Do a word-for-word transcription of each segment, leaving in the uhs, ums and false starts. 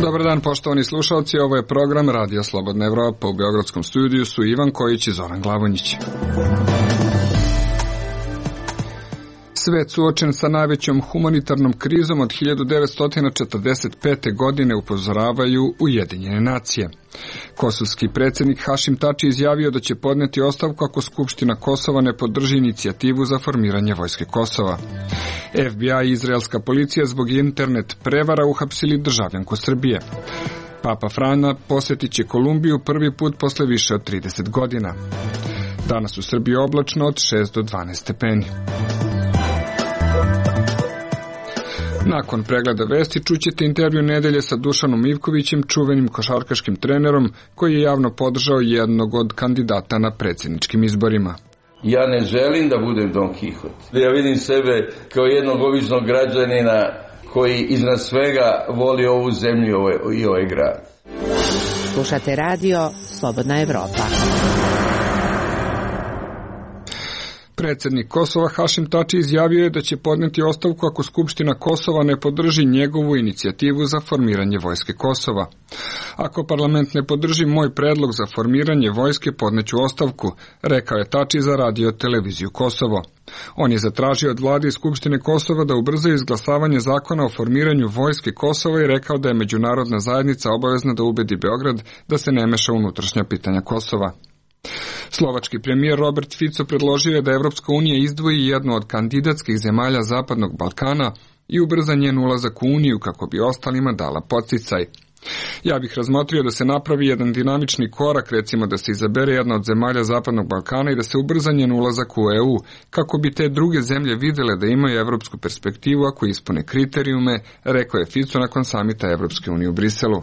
Dobar dan, poštovani slušalci, ovo je program Radio Slobodna Evropa. U beogradskom studiju su Ivan Kojić i Zoran Glavonjić. Svet suočen sa najvećom humanitarnom krizom od hiljadu devetsto četrdeset pete. godine, upozoravaju Ujedinjene nacije. Kosovski predsjednik Hašim Tači izjavio da će podneti ostavku ako Skupština Kosova ne podrži inicijativu za formiranje vojske Kosova. F B I i izraelska policija zbog internet prevara uhapsili državljanku Srbije. Papa Frana posjetit će Kolumbiju prvi put posle više od trideset godina. Danas u Srbiji oblačno od šest do dvanaest stepeni. Nakon pregleda vesti čućete intervju nedelje sa Dušanom Ivkovićem, čuvenim košarkaškim trenerom koji je javno podržao jednog od kandidata na predsjedničkim izborima. Ja ne želim da budem Don Quixote. Ja vidim sebe kao jednog običnog građanina koji iznad svega voli ovu zemlju i ovaj grad. Slušate radio Slobodna Evropa. Predsjednik Kosova Hašim Tači izjavio je da će podneti ostavku ako Skupština Kosova ne podrži njegovu inicijativu za formiranje vojske Kosova. Ako parlament ne podrži moj predlog za formiranje vojske, podneću ostavku, rekao je Tači za radio televiziju Kosovo. On je zatražio od vlade i Skupštine Kosova da ubrzaju izglasavanje zakona o formiranju vojske Kosova i rekao da je međunarodna zajednica obavezna da ubedi Beograd da se ne meša unutrašnja pitanja Kosova. Slovački premijer Robert Fico predložio je da Evropska unija izdvoji jednu od kandidatskih zemalja Zapadnog Balkana i ubrza njen ulazak u Uniju kako bi ostalima dala podsticaj. Ja bih razmotrio da se napravi jedan dinamični korak, recimo da se izabere jedna od zemalja Zapadnog Balkana i da se ubrza njen ulazak u E U, kako bi te druge zemlje videle da imaju evropsku perspektivu ako ispune kriterijume, rekao je Fico nakon samita Evropske unije u Briselu.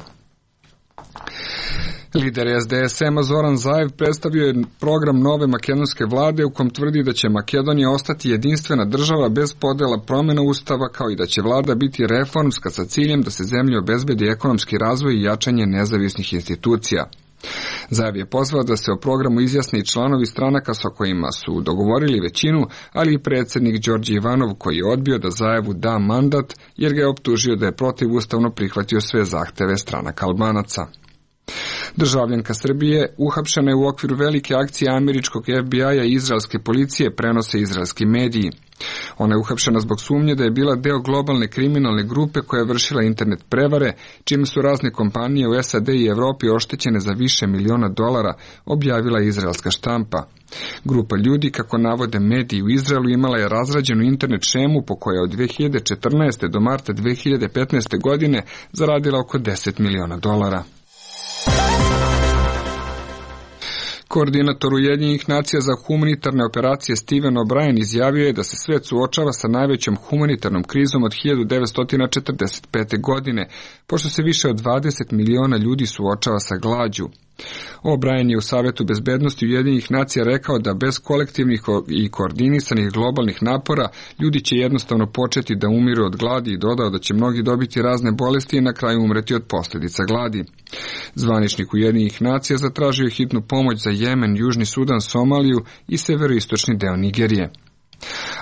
Lider S D S M-a Zoran Zaev predstavio je program nove makedonske vlade u kom tvrdi da će Makedonija ostati jedinstvena država bez podela promjena ustava, kao i da će vlada biti reformska sa ciljem da se zemlji obezbedi ekonomski razvoj i jačanje nezavisnih institucija. Zaev je pozvao da se o programu izjasne i članovi stranaka sa kojima su dogovorili većinu, ali i predsjednik Đorđe Ivanov koji je odbio da Zaevu da mandat jer ga je optužio da je protivustavno prihvatio sve zahteve stranaka Albanaca. Državljanka Srbije uhapšena je u okviru velike akcije američkog F B I-a i izraelske policije, prenose izraelski mediji. Ona je uhapšena zbog sumnje da je bila deo globalne kriminalne grupe koja je vršila internet prevare, čime su razne kompanije u S A D i Evropi oštećene za više miliona dolara, objavila izraelska štampa. Grupa ljudi, kako navode mediji u Izraelu, imala je razrađenu internet šemu po kojoj od dve hiljade četrnaeste. do marta dve hiljade petnaeste. godine zaradila oko deset miliona dolara. Koordinator Ujedinjenih nacija za humanitarne operacije Steven O'Brien izjavio je da se svet suočava sa najvećom humanitarnom krizom od hiljadu devetsto četrdeset pete. godine, pošto se više od dvadeset miliona ljudi suočava sa glađu. O'Brien je u Savetu bezbednosti Ujedinjenih nacija rekao da bez kolektivnih i koordinisanih globalnih napora ljudi će jednostavno početi da umiru od gladi i dodao da će mnogi dobiti razne bolesti i na kraju umreti od posljedica gladi. Zvaničnik Ujedinjenih nacija zatražio hitnu pomoć za Jemen, Južni Sudan, Somaliju i severoistočni deo Nigerije.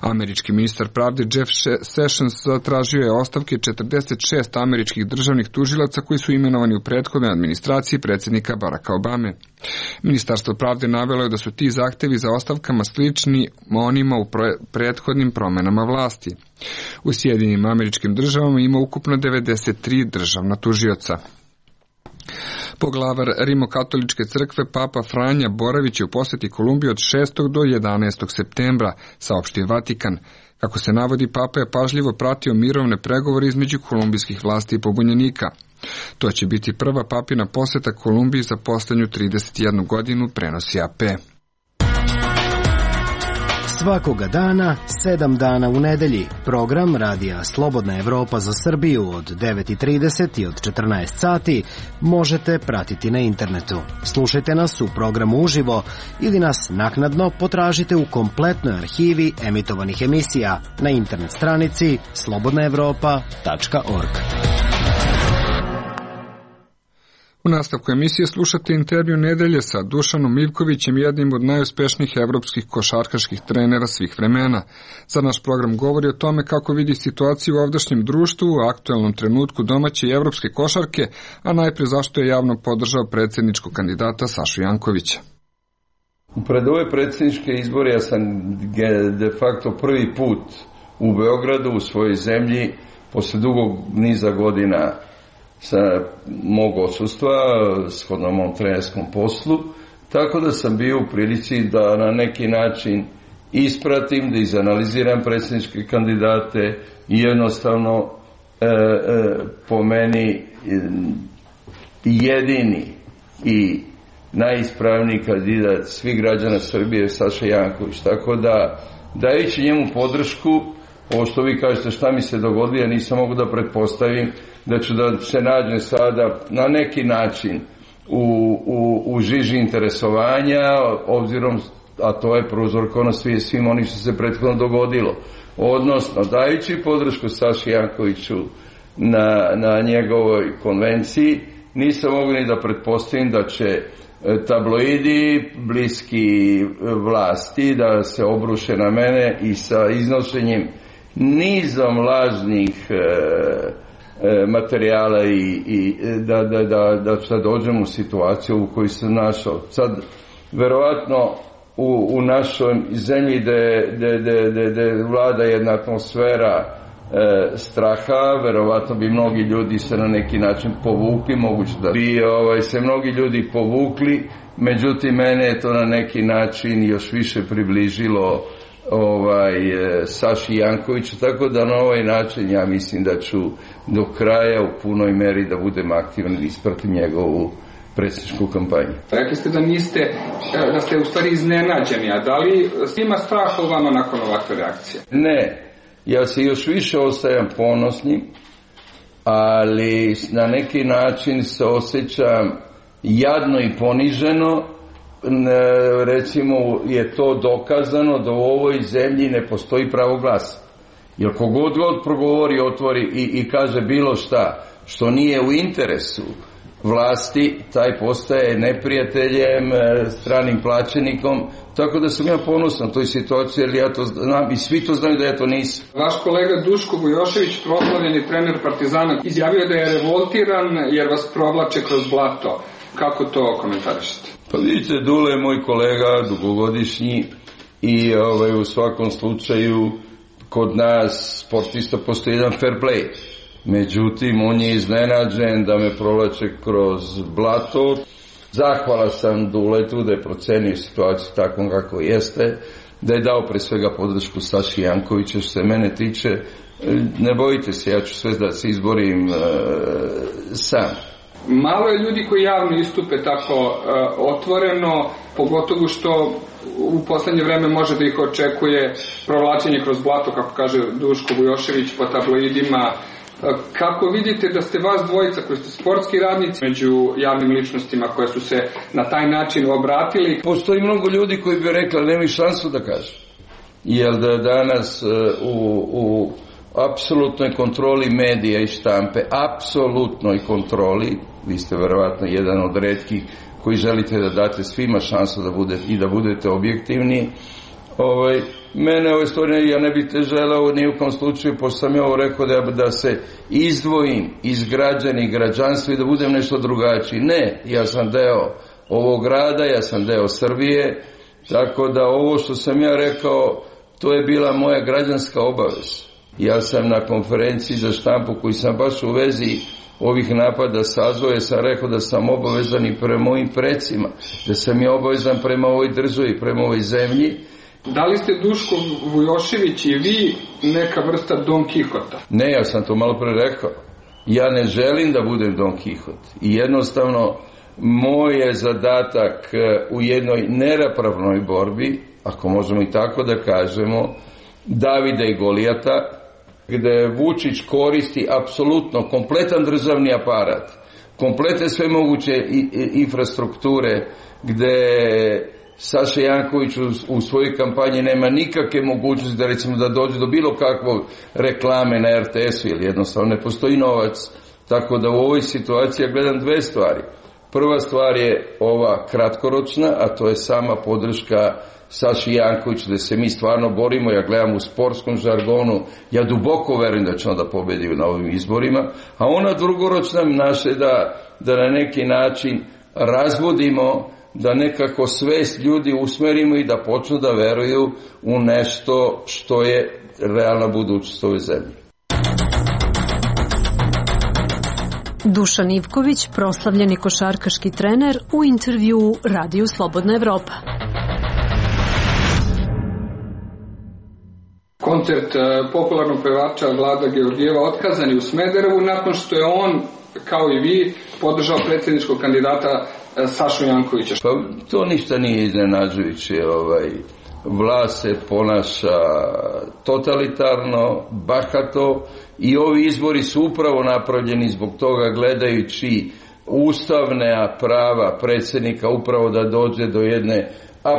Američki ministar pravde Jeff Sessions zatražio je ostavke četrdeset šest američkih državnih tužilaca koji su imenovani u prethodnoj administraciji predsjednika Baracka Obame. Ministarstvo pravde navelo je da su ti zahtevi za ostavkama slični onima u prethodnim promenama vlasti. U Sjedinjenim Američkim Državama ima ukupno devedeset tri državna tužioca. Poglavar Rimokatoličke crkve Papa Franja boravić je u posjeti Kolumbiji od šestog do jedanaestog septembra, saopštio Vatikan. Kako se navodi, Papa je pažljivo pratio mirovne pregovore između kolumbijskih vlasti i pobunjenika. To će biti prva papina posjeta Kolumbiji za posljednju trideset jednu godinu, prenosi A P. Svakoga dana, sedam dana u nedelji, program Radija Slobodna Evropa za Srbiju od devet i trideset i od četrnaest sati možete pratiti na internetu. Slušajte nas u programu uživo ili nas naknadno potražite u kompletnoj arhivi emitovanih emisija na internet stranici slobodna evropa tačka org. U nastavku emisije slušate intervju nedelje sa Dušanom Ivkovićem, jednim od najuspešnijih evropskih košarkaških trenera svih vremena. Za naš program govori o tome kako vidi situaciju u ovdašnjem društvu u aktuelnom trenutku domaće i evropske košarke, a najpre zašto je javno podržao predsjedničkog kandidata Sašu Jankovića. Pred ove predsjedničke izbore ja sam de facto prvi put u Beogradu, u svojoj zemlji, posle dugog niza godina sa mog odsustva, shodno mom trenerskom poslu, tako da sam bio u prilici da na neki način ispratim, da izanaliziram predsjedničke kandidate i jednostavno e, e, po meni jedini i najispravniji kandidat svih građana Srbije je Saša Janković. Tako da, dajući njemu podršku, ovo što vi kažete šta mi se dogodilo, ja nisam mogu da pretpostavim da ću da se nađem sada na neki način u, u, u žiži interesovanja, obzirom, a to je prouzrokovano svi, svim onim što se prethodno dogodilo. Odnosno, dajući podršku Saši Jankoviću na, na njegovoj konvenciji, nisam mogu ni da pretpostavim da će tabloidi bliski vlasti da se obruše na mene i sa iznošenjem nizom lažnih e, e, materijala i, i da, da, da, da sad dođem u situaciju u kojoj sam našao. Sad, verovatno, u, u našoj zemlji gde vlada jedna atmosfera e, straha, verovatno bi mnogi ljudi se na neki način povukli, moguće da bi ovaj, se mnogi ljudi povukli, međutim mene je to na neki način još više približilo ovaj, Saši Jankoviću, tako da na ovaj način ja mislim da ću do kraja u punoj meri da budem aktivan i ispratim njegovu predsjedničku kampanju. Rekli ste da niste, da ste u stvari iznenađeni, a da li ima strah od vama nakon ovakve reakcije? Ne, ja se još više ostajam ponosnim, ali na neki način se osjećam jadno i poniženo. Recimo je to dokazano da u ovoj zemlji ne postoji pravo glasa. Jer kogod god progovori, otvori i, i kaže bilo šta što nije u interesu vlasti, taj postaje neprijateljem, stranim plaćenikom, tako da sam ja ponosan toj situaciji, jer ja to znam i svi to znaju da ja to nisam. Vaš kolega Duško Vujošević, proslavljeni trener Partizana, izjavio da je revoltiran jer vas provlače kroz blato. Kako to komentarišete? Pa vidite, Dule je moj kolega, dugogodišnji i ovaj, u svakom slučaju kod nas sportista postoji jedan fair play. Međutim, on je iznenađen da me provlače kroz blato. Zahvala sam Duletu da je procenio situaciju takvom kako jeste, da je dao pre svega podršku Saši Jankovića. Što se mene tiče, ne bojite se, ja ću sve da se izborim e, sam. Malo je ljudi koji javno istupe tako e, otvoreno, pogotovo što u poslednje vreme može da ih očekuje provlačenje kroz blato, kako kaže Duško Vujošević, po tabloidima. Kako vidite da ste vas dvojica koji ste sportski radnici među javnim ličnostima koje su se na taj način obratili? Postoji mnogo ljudi koji bi rekli, ali nemaju šansu da kažu. Jer da danas u, u apsolutnoj kontroli medija i štampe, apsolutnoj kontroli, vi ste verovatno jedan od retkih koji želite da date svima šansu da budete, i da budete objektivni. Ovaj, mene ove stvari, ja ne bih te želeo ni u kom slučaju, pošto sam ja ovo rekao da, da se izdvojim iz građana i građanstva i da budem nešto drugačiji. Ne, ja sam deo ovog grada, ja sam deo Srbije, tako da ovo što sam ja rekao, to je bila moja građanska obaveza. Ja sam na konferenciji za štampu koji sam baš u vezi ovih napada sazvoje, sam rekao da sam obavezan i prema mojim precima, da sam i obavezan prema ovoj državi, prema ovoj zemlji. Da li ste Duško Vujošević i vi neka vrsta Don Kihota? Ne, ja sam to malo pre rekao. Ja ne želim da budem Don Kihot. I jednostavno, moj je zadatak u jednoj neravnopravnoj borbi, ako možemo i tako da kažemo, Davida i Golijata, gde Vučić koristi apsolutno kompletan državni aparat, komplete sve moguće infrastrukture, gde Saša Janković u, u svojoj kampanji nema nikakve mogućnosti da recimo da dođe do bilo kakvog reklame na er te esu, jer jednostavno ne postoji novac. Tako da u ovoj situaciji ja gledam dve stvari. Prva stvar je ova kratkoročna, a to je sama podrška Saši Jankoviću, da se mi stvarno borimo. Ja gledam u sportskom žargonu, ja duboko verujem da će onda pobedi na ovim izborima, a ona drugoročna naše da, da na neki način razvodimo, da nekako svest ljudi usmerimo i da počnu da veruju u nešto što je realna budućnost ove zemlje. Dušan Ivković, proslavljeni košarkaški trener, u intervjuu Radiju Slobodna Evropa. Koncert popularnog pevača Vlada Georgijeva otkazan je u Smederevu nakon što je on, kao i vi, podržao predsjedničkog kandidata Sašu Jankovića. Pa to ništa nije iznenađujuće. Ovaj, vlast se ponaša totalitarno, bahato i ovi izbori su upravo napravljeni zbog toga, gledajući ustavne prava predsjednika upravo da dođe do jedne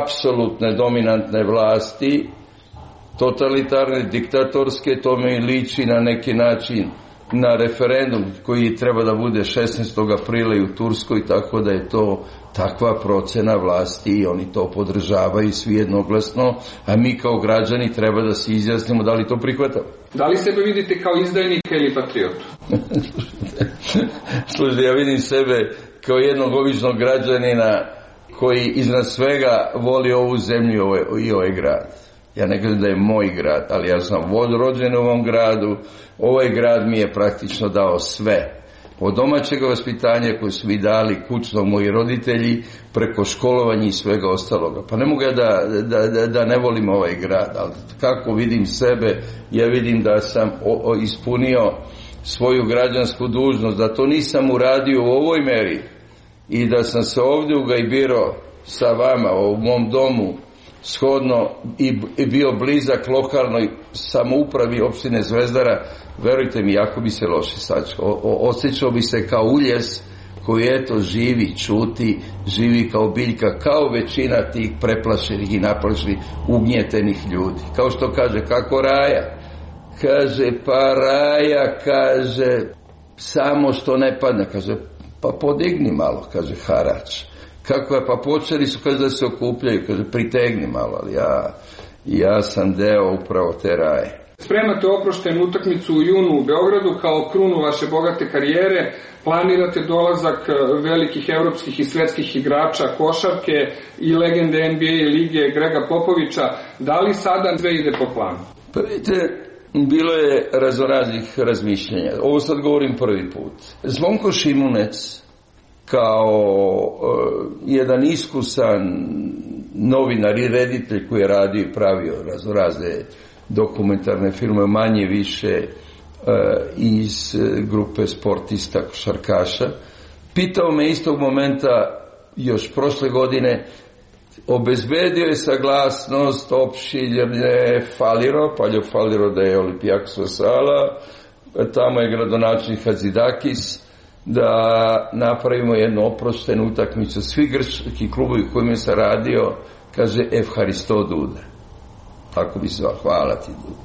apsolutne dominantne vlasti, totalitarne, diktatorske. To mi liči na neki način na referendum koji treba da bude šesnaestog aprila i u Turskoj, tako da je to takva procena vlasti i oni to podržavaju svi jednoglasno, a mi kao građani treba da se izjasnimo da li to prihvatamo. Da li sebe vidite kao izdajnika ili patriotu? Slušaj, ja vidim sebe kao jednog običnog građanina koji iznad svega voli ovu zemlju i ovaj grad. Ja ne kažem da je moj grad, ali ja sam rođen u ovom gradu. Ovaj grad mi je praktično dao sve. Od domaćeg vaspitanja koje su mi dali kućno moji roditelji, preko školovanja i svega ostaloga. Pa ne mogu ja da, da, da, da ne volim ovaj grad, ali kako vidim sebe, ja vidim da sam o, o, ispunio svoju građansku dužnost, da to nisam uradio u ovoj meri i da sam se ovdje ugajbirao sa vama u mom domu, shodno i bio blizak lokalnoj samoupravi opštine Zvezdara, verujte mi, jako bi se loše sačekao. Osjećao bi se kao uljes koji eto živi, čuti, živi kao biljka, kao većina tih preplašenih i naplašenih, ugnjetenih ljudi. Kao što kaže, kako Raja? Kaže, pa Raja, kaže, samo što ne padne, kaže, pa podigni malo, kaže, harač. Kako je, pa počeli su, kaže, da se okupljaju, kaže, pritegni malo, ali ja, ja sam deo upravo te Raje. Spremate oproštajnu utakmicu u junu u Beogradu kao krunu vaše bogate karijere, planirate dolazak velikih evropskih i svetskih igrača košarke i legende N B A lige Grega Popovića. Da li sada sve ide po planu? Pa vidite, bilo je raznoraznih razmišljenja. Ovo sad govorim prvi put. Zvonko Šimunec, kao uh, jedan iskusan novinar i reditelj koji je radio i pravio raznorazne dokumentarne filme, manje više uh, iz uh, grupe sportista košarkaša, pitao me istog momenta još prošle godine, obezbedio je saglasnost opštinje Faliro, Paljo Faliro da je Olimpijakosova sala, tamo je gradonačelnik Hadzidakis, da napravimo jednu oproštenu utakmicu. Svi grčki klubovi u kojima se radio, kaže Evharisto Duda. Tako bi se zvao, hvala ti Duda.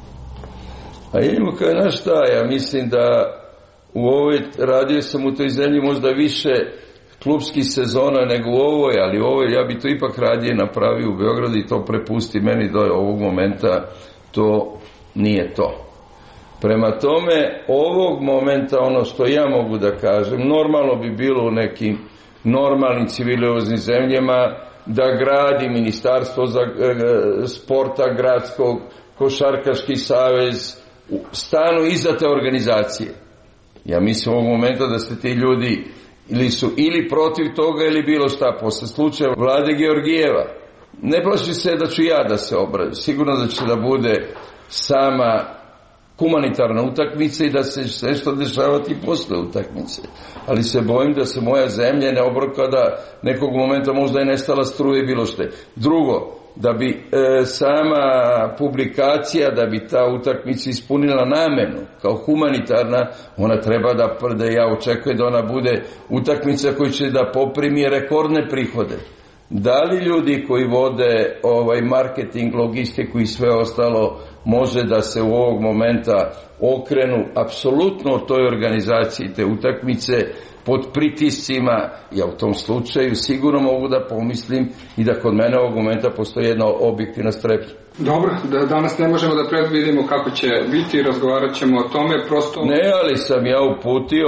A jednimo kaže, znaš šta, ja mislim da u ovoj, radio sam u toj zemlji možda više klubskih sezona nego u ovoj, ali u ovoj ja bi to ipak radije napravio u Beogradu i to prepusti meni do ovog momenta, to nije to. Prema tome, ovog momenta, ono što ja mogu da kažem, normalno bi bilo u nekim normalnim civilizovanim zemljama da gradi ministarstvo za e, sporta gradskog, košarkaški savez, stanu iza te organizacije. Ja mislim ovog momenta da se ti ljudi ili su ili protiv toga ili bilo šta. Posle slučaja Vlade Georgijeva, ne plaši se da ću ja da se obradim. Sigurno da će da bude sama humanitarna utakmica i da se sve što dešavati posle utakmice. Ali se bojim da se moja zemlja ne obroka da nekog momenta možda je nestala struje i bilo što. Drugo, da bi e, sama publikacija, da bi ta utakmica ispunila namenu kao humanitarna, ona treba da, da ja očekujem da ona bude utakmica koja će da poprimi rekordne prihode. Da li ljudi koji vode ovaj marketing, logistiku i sve ostalo može da se u ovog momenta okrenu apsolutno toj organizaciji te utakmice, pod pritiscima, ja u tom slučaju sigurno mogu da pomislim i da kod mene ovog momenta postoji jedna objektivna strepnja. Dobro, da danas ne možemo da predvidimo kako će biti, razgovarat ćemo o tome, prosto... Ne, ali sam ja uputio,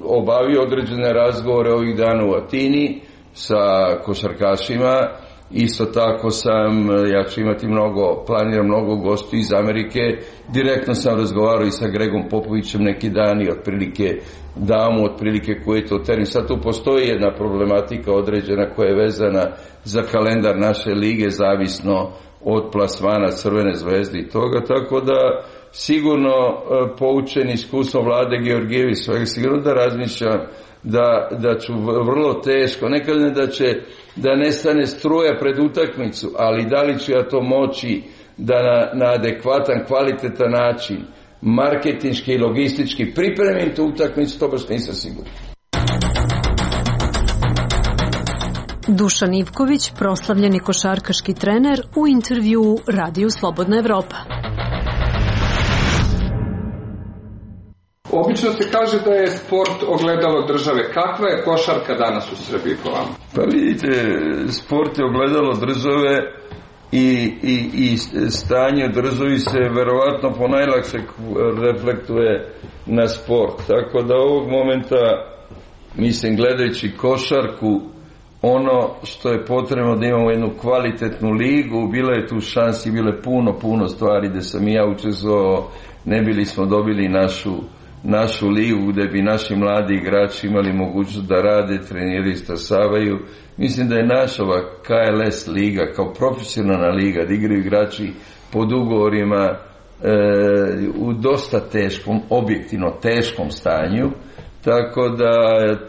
obavio određene razgovore ovih dana u Atini sa košarkašima, isto tako sam, ja ću imati mnogo, planiram mnogo gostiju iz Amerike, direktno sam razgovarao i sa Gregom Popovićem neki dan i otprilike dao mu otprilike koji je to termin. Sad tu postoji jedna problematika određena koja je vezana za kalendar naše lige, zavisno od plasmana Crvene zvezde i toga, tako da sigurno poučen iskustvom Vlade Georgijević svega, sigurno da razmišljam da, da ću vrlo teško, ne kažem da će da nestane struja pred utakmicu, ali da li ću ja to moći da na, na adekvatan, kvalitetan način marketinški i logistički pripremim tu utakmicu, to baš nisam siguran. Dušan Ivković, proslavljeni košarkaški trener, u intervjuu Radiju Slobodna Evropa. Obično se kaže da je sport ogledalo države. Kakva je košarka danas u Srbiji po vama? Pa vidite, sport je ogledalo države i, i, i stanje u državi se verovatno ponajlakše reflektuje na sport. Tako da ovog momenta, mislim, gledajući košarku, ono što je potrebno da imamo jednu kvalitetnu ligu, bila je tu šansi, bile puno, puno stvari gde sam i ja učestvovao, ne bili smo dobili našu našu ligu gde bi naši mladi igrači imali mogućnost da rade, treniraju, stasavaju. Mislim da je naša ova K L S liga kao profesionalna liga, da igraju igrači pod ugovorima e, u dosta teškom, objektivno teškom stanju, tako da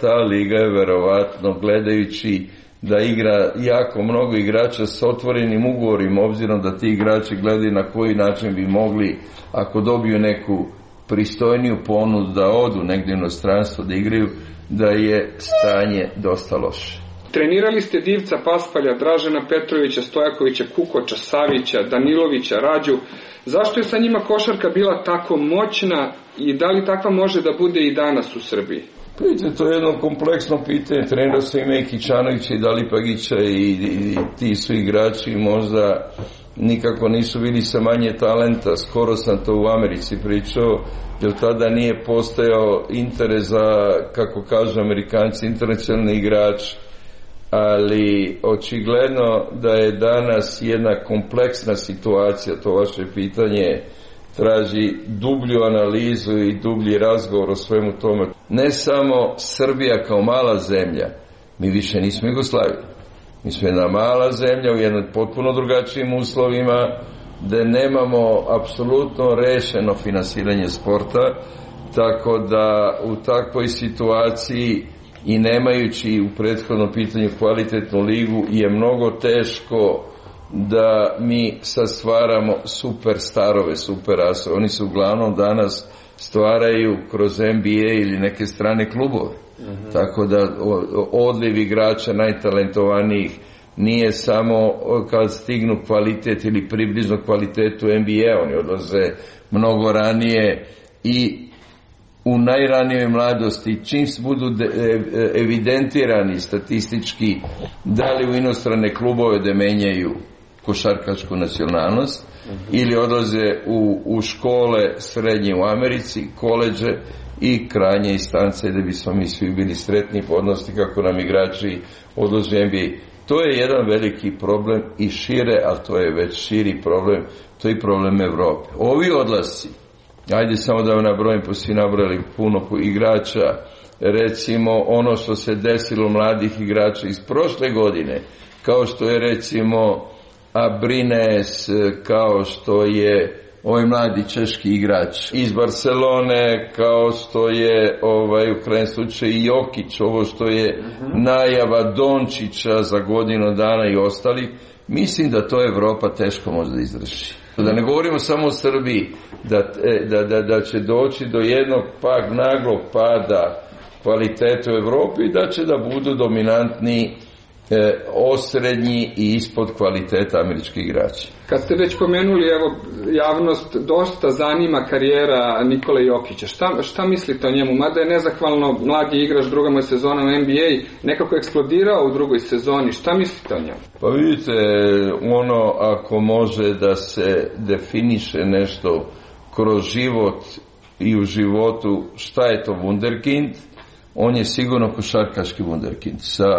ta liga je verovatno, gledajući da igra jako mnogo igrača s otvorenim ugovorima, obzirom da ti igrači gledaju na koji način bi mogli, ako dobiju neku pristojniju ponudu da odu negdje u inostranstvo da igraju, da je stanje dosta loše. Trenirali ste Divca Paspalja, Dražena Petrovića, Stojakovića, Kukoča, Savića, Danilovića, Rađu. Zašto je sa njima košarka bila tako moćna i da li takva može da bude i danas u Srbiji? Vidite, to je jedno kompleksno pitanje. Trenirao sam i Meki Čanovića i Dalipagića i, i, i ti su igrači možda nikako nisu bili sa manje talenta. Skoro sam to u Americi pričao, jer tada nije postojao interes za, kako kažu Amerikanci, internacionalni igrač, ali očigledno da je danas jedna kompleksna situacija, to vaše pitanje traži dublju analizu i dublji razgovor o svemu tome. Ne samo Srbija kao mala zemlja, mi više nismo Jugoslavija. Mi smo jedna mala zemlja u jednom potpuno drugačijim uslovima, gde nemamo apsolutno rešeno finansiranje sporta, tako da u takvoj situaciji i nemajući u prethodnom pitanju kvalitetnu ligu je mnogo teško da mi sad stvaramo super starove, super asove. Oni se uglavnom danas stvaraju kroz N B A ili neke strane klubove. Uh-huh. Tako da odliv igrača najtalentovanijih nije samo kad stignu kvalitet ili približno kvalitetu N B A, oni odlaze mnogo ranije i u najranijoj mladosti, čim budu evidentirani statistički, da li u inostrane klubove da menjaju košarkašku nacionalnost, uh-huh. ili odlaze u, u škole srednje u Americi, koleđe i krajnje instance da bismo mi svi bili sretni i podnosti kako nam igrači odlaze u N B A. To je jedan veliki problem i šire, ali to je već širi problem, to je problem Evrope. Ovi odlasci, ajde samo da vam nabrojim, pa svi nabrojali puno igrača, recimo ono što se desilo mladih igrača iz prošle godine, kao što je recimo Abrines, kao što je ovaj mladi češki igrač iz Barcelone, kao što je ovaj, u krajnjem slučaju i Jokić, ovo što je uh-huh. najava Dončića za godinu dana i ostali, mislim da to Evropa teško može da izvrši. Da ne govorimo samo o Srbiji, da, da, da, da će doći do jednog pak naglog pada kvalitete u Evropi i da će da budu dominantni e, osrednji i ispod kvaliteta američkih igrača. Kad ste već pomenuli, evo, javnost dosta zanima karijera Nikole Jokića. Šta, šta mislite o njemu? Mada je nezahvalno mladi igrač, druga mu je sezona u N B A, nekako eksplodirao u drugoj sezoni. Šta mislite o njemu? Pa vidite, ono ako može da se definiše nešto kroz život i u životu šta je to wunderkind, on je sigurno košarkaški wunderkind. Sa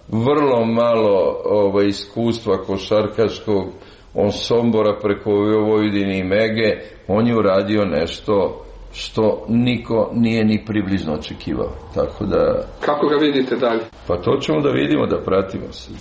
vrlo malo ovaj, iskustva košarkaškog, on Sombora preko Vojvodine i Mege, on je uradio nešto što niko nije ni približno očekivao. Tako da... Kako ga vidite dalje? Pa to ćemo da vidimo, da pratimo se.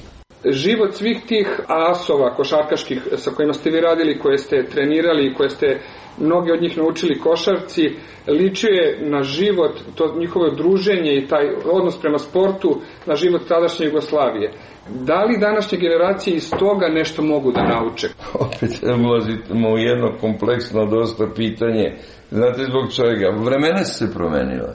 Život svih tih asova košarkaških sa kojima ste vi radili, koje ste trenirali i koje ste mnogi od njih naučili košarci, ličio je na život, to njihovo druženje i taj odnos prema sportu, na život tadašnje Jugoslavije. Da li današnje generacije iz toga nešto mogu da nauče? Opet ulazimo u jedno kompleksno dosta pitanje. Znate zbog čega? Vremena su se promenila.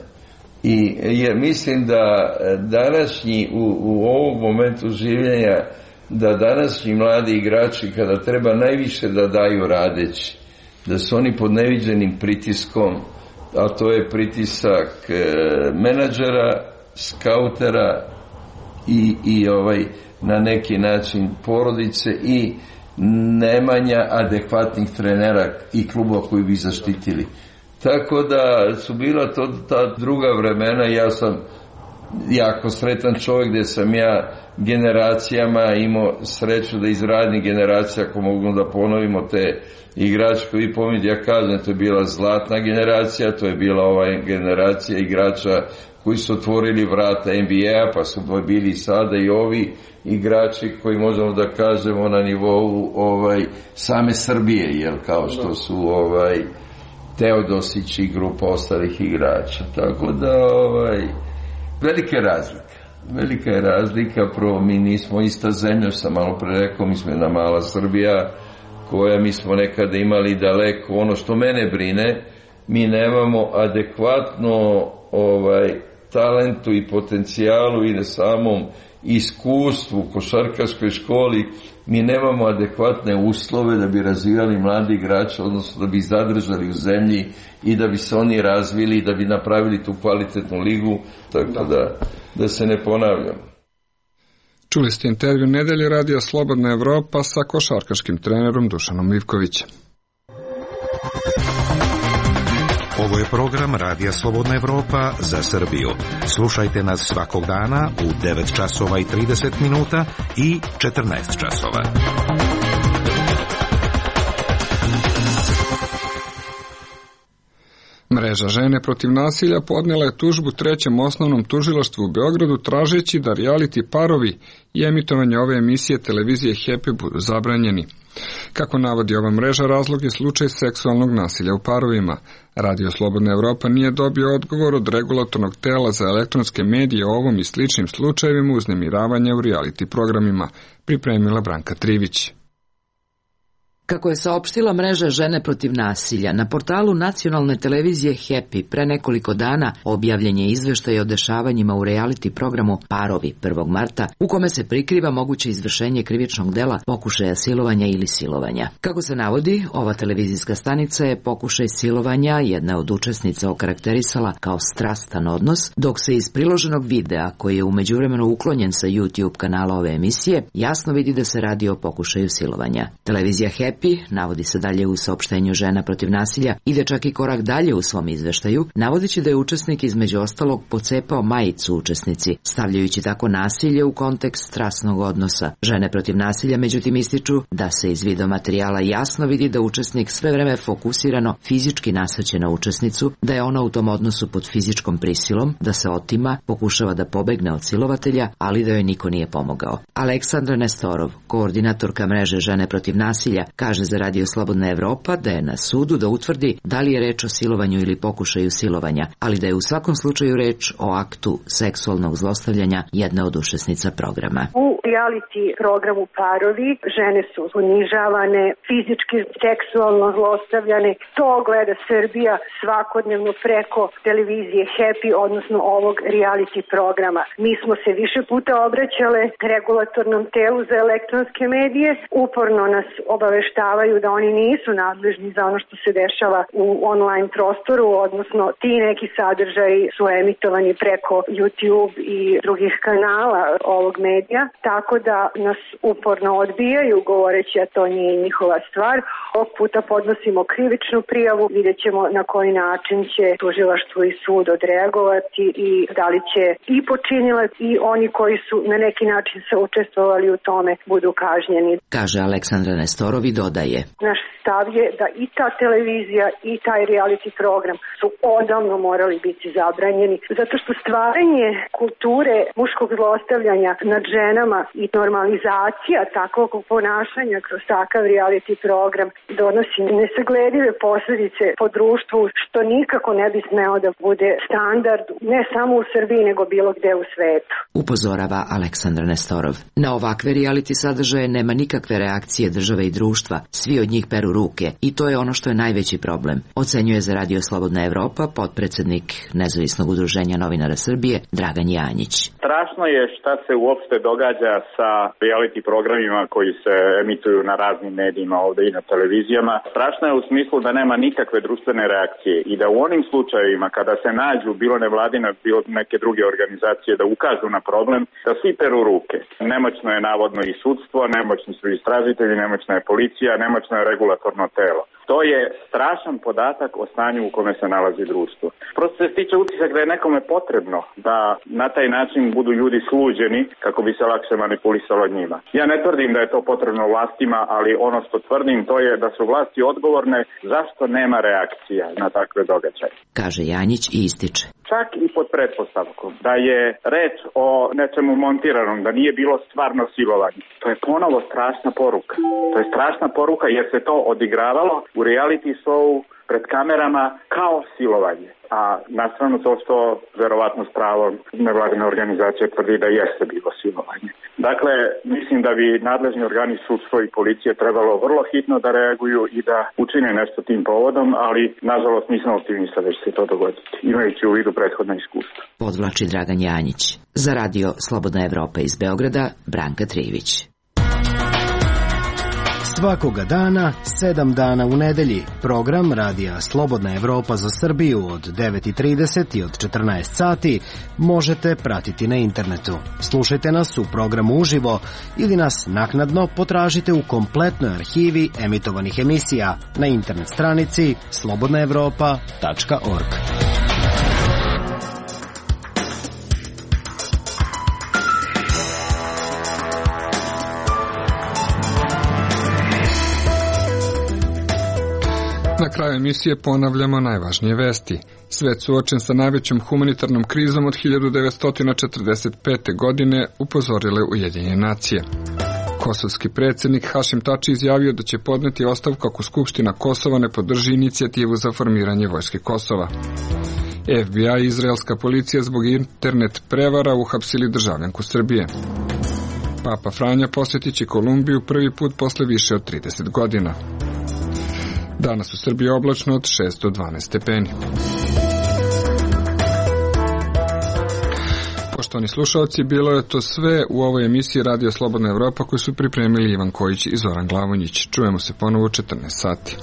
I je, mislim da današnji, u, u ovom momentu življenja, da današnji mladi igrači, kada treba najviše da daju radeći, da su oni pod neviđenim pritiskom, a to je pritisak e, menadžera, skautera i, i ovaj, na neki način porodice i nemanja adekvatnih trenera i klubova koji bi zaštitili. Tako da su bila to ta druga vremena. Ja sam jako sretan čovjek gdje sam ja generacijama imao sreću da iz radnih generacija, ako mogu da ponovimo te igrače koji pomijete, ja kažem, to je bila zlatna generacija, to je bila ova generacija igrača koji su otvorili vrata N B A, pa su bili sada i ovi igrači koji možemo da kažemo na nivou ovaj, same Srbije, jel, kao što su ovaj, Teodosić i grupa ostalih igrača. Tako da ovaj, velika je razlika. Velika je razlika, prvo mi nismo ista zemlja, što sam malo pre rekao, mi smo jedna mala Srbija koja mi smo nekada imali daleko. Ono što mene brine, mi nemamo adekvatno ovaj, talentu i potencijalu i na samom iskustvu u košarkaškoj školi, mi nemamo adekvatne uslove da bi razvijali mladi igrače, odnosno da bi zadržali u zemlji i da bi se oni razvili i da bi napravili tu kvalitetnu ligu, tako da, da se ne ponavljam. Čuli ste intervju Nedelje radija Slobodna Evropa sa košarkaškim trenerom Dušanom Ivkovićem. Ovo je program Radija Slobodna Evropa za Srbiju. Slušajte nas svakog dana u devet časova i trideset minuta i četrnaest časova. Mreža Žene protiv nasilja podnela je tužbu trećem osnovnom tužilaštvu u Beogradu tražeći da reality parovi i emitovanje ove emisije televizije Happy budu zabranjeni. Kako navodi ova mreža, razlog je slučaj seksualnog nasilja u parovima. Radio Slobodna Evropa nije dobio odgovor od regulatornog tela za elektronske medije o ovom i sličnim slučajevima uznemiravanja u reality programima, pripremila Branka Trivić. Kako je saopštila mreža Žene protiv nasilja, na portalu nacionalne televizije Happy pre nekoliko dana objavljen je izveštaj o dešavanjima u reality programu Parovi prvog marta, u kome se prikriva moguće izvršenje krivičnog dela pokušaja silovanja ili silovanja. Kako se navodi, ova televizijska stanica je pokušaj silovanja jedna od učesnica okarakterisala kao strastan odnos, dok se iz priloženog videa, koji je u međuvremenu uklonjen sa YouTube kanala ove emisije, jasno vidi da se radi o pokušaju silovanja. Televizija Happy, navodi se dalje u saopštenju Žena protiv nasilja, ide čak i korak dalje u svom izveštaju, navodeći da je učesnik između ostalog pocepao majicu učesnici, stavljajući tako nasilje u kontekst strasnog odnosa. Žene protiv nasilja međutim ističu da se iz video materijala jasno vidi da učesnik sve vreme fokusirano fizički nasrće na učesnicu, da je ona u tom odnosu pod fizičkom prisilom, da se otima, pokušava da pobegne od silovatelja, ali da joj niko nije pomogao. Aleksandra Nestorov, koordinatorka mreže Žene protiv nasilja, Kaže za Radio Slobodna Evropa da je na sudu da utvrdi da li je reč o silovanju ili pokušaju silovanja, ali da je u svakom slučaju reč o aktu seksualnog zlostavljanja jedne od učesnica programa. U reality programu Parovi žene su ponižavane, fizički, seksualno zlostavljane. To gleda Srbija svakodnevno preko televizije Happy, odnosno ovog reality programa. Mi smo se više puta obraćale regulatornom telu za elektronske medije. Uporno nas obaveštavaju da oni nisu nadležni za ono što se dešava u online prostoru, odnosno ti neki sadržaji su emitovani preko YouTube i drugih kanala ovog medija, tako da nas uporno odbijaju govoreći da to nije njihova stvar. Ovog puta podnosimo krivičnu prijavu, vidjet ćemo na koji način će tužilaštvo i sud odreagovati i da li će i počinilac i oni koji su na neki način se učestvovali u tome budu kažnjeni. Kaže Aleksandra Nestorov i dodaje. Naš stav je da i ta televizija i taj reality program su odavno morali biti zabranjeni, zato što stvaranje kulture muškog zlostavljanja nad ženama i normalizacija takvog ponašanja kroz takav reality program donosi nesagledive posljedice po društvu, što nikako ne bi smeo da bude standard ne samo u Srbiji nego bilo gde u svetu. Upozorava Aleksandar Nestorov. Na ovakve reality sadržaje nema nikakve reakcije države i društva, svi od njih peru ruke i to je ono što je najveći problem, ocenjuje za Radio Slobodna Evropa potpredsednik Nezavisnog udruženja novinara Srbije Dragan Janjić. Strašno je šta se uopšte događa sa reality programima koji se emituju na raznim medijima ovde i na televizijama. Strašno je u smislu da nema nikakve društvene reakcije i da u onim slučajevima kada se nađu bilo nevladine, bilo neke druge organizacije da ukažu na problem, da svi peru ruke. Nemoćno je navodno i sudstvo, nemoćni su istražitelji, nemoćna je policija, nemoćno je regulatorno telo. To je strašan podatak o stanju u kome se nalazi društvo. Prosto se stiče utisak da je nekome potrebno da na taj način budu ljudi sluđeni kako bi se lakše manipulisalo njima. Ja ne tvrdim da je to potrebno vlastima, ali ono što tvrdim to je da su vlasti odgovorne zašto nema reakcija na takve događaje. Kaže Janjić i ističe. Čak i pod pretpostavkom da je reč o nečemu montiranom, da nije bilo stvarno silovanje. To je ponovo strašna poruka. To je strašna poruka jer se to odigravalo u reality show pred kamerama kao silovanje. A nastranu to što verovatno s pravom nevladine organizacije tvrdi da jeste bilo silovanje. Dakle, mislim da bi nadležni organi sudstvo i policije trebalo vrlo hitno da reaguju i da učine nešto tim povodom, ali nažalost nisam optimista da će se to dogoditi, imajući u vidu prethodna iskustva. Podvlači Dragan Janjić. Za Radio Slobodna Evropa iz Beograda, Branka Trivić. Svakoga dana, sedam dana u nedelji, program Radija Slobodna Evropa za Srbiju od devet i trideset i od četrnaest sati možete pratiti na internetu. Slušajte nas u programu uživo ili nas naknadno potražite u kompletnoj arhivi emitovanih emisija na internet stranici slobodna evropa tačka org. Na kraju emisije ponavljamo najvažnije vesti. Svet suočen sa najvećom humanitarnom krizom od hiljadu devetsto četrdeset pete. godine, upozorile Ujedinjene nacije. Kosovski predsjednik Hašim Tači izjavio da će podneti ostavku ako Skupština Kosova ne podrži inicijativu za formiranje vojske Kosova. F B I i izraelska policija zbog internet prevara uhapsili državljanku Srbije. Papa Franja posjetit će Kolumbiju prvi put posle više od trideset godina. Danas u Srbiji oblačno od šest do dvanaest stepeni. Poštovani slušalci, bilo je to sve u ovoj emisiji Radio Slobodna Evropa koju su pripremili Ivan Kojić i Zoran Glavonjić. Čujemo se ponovo u četrnaest sati.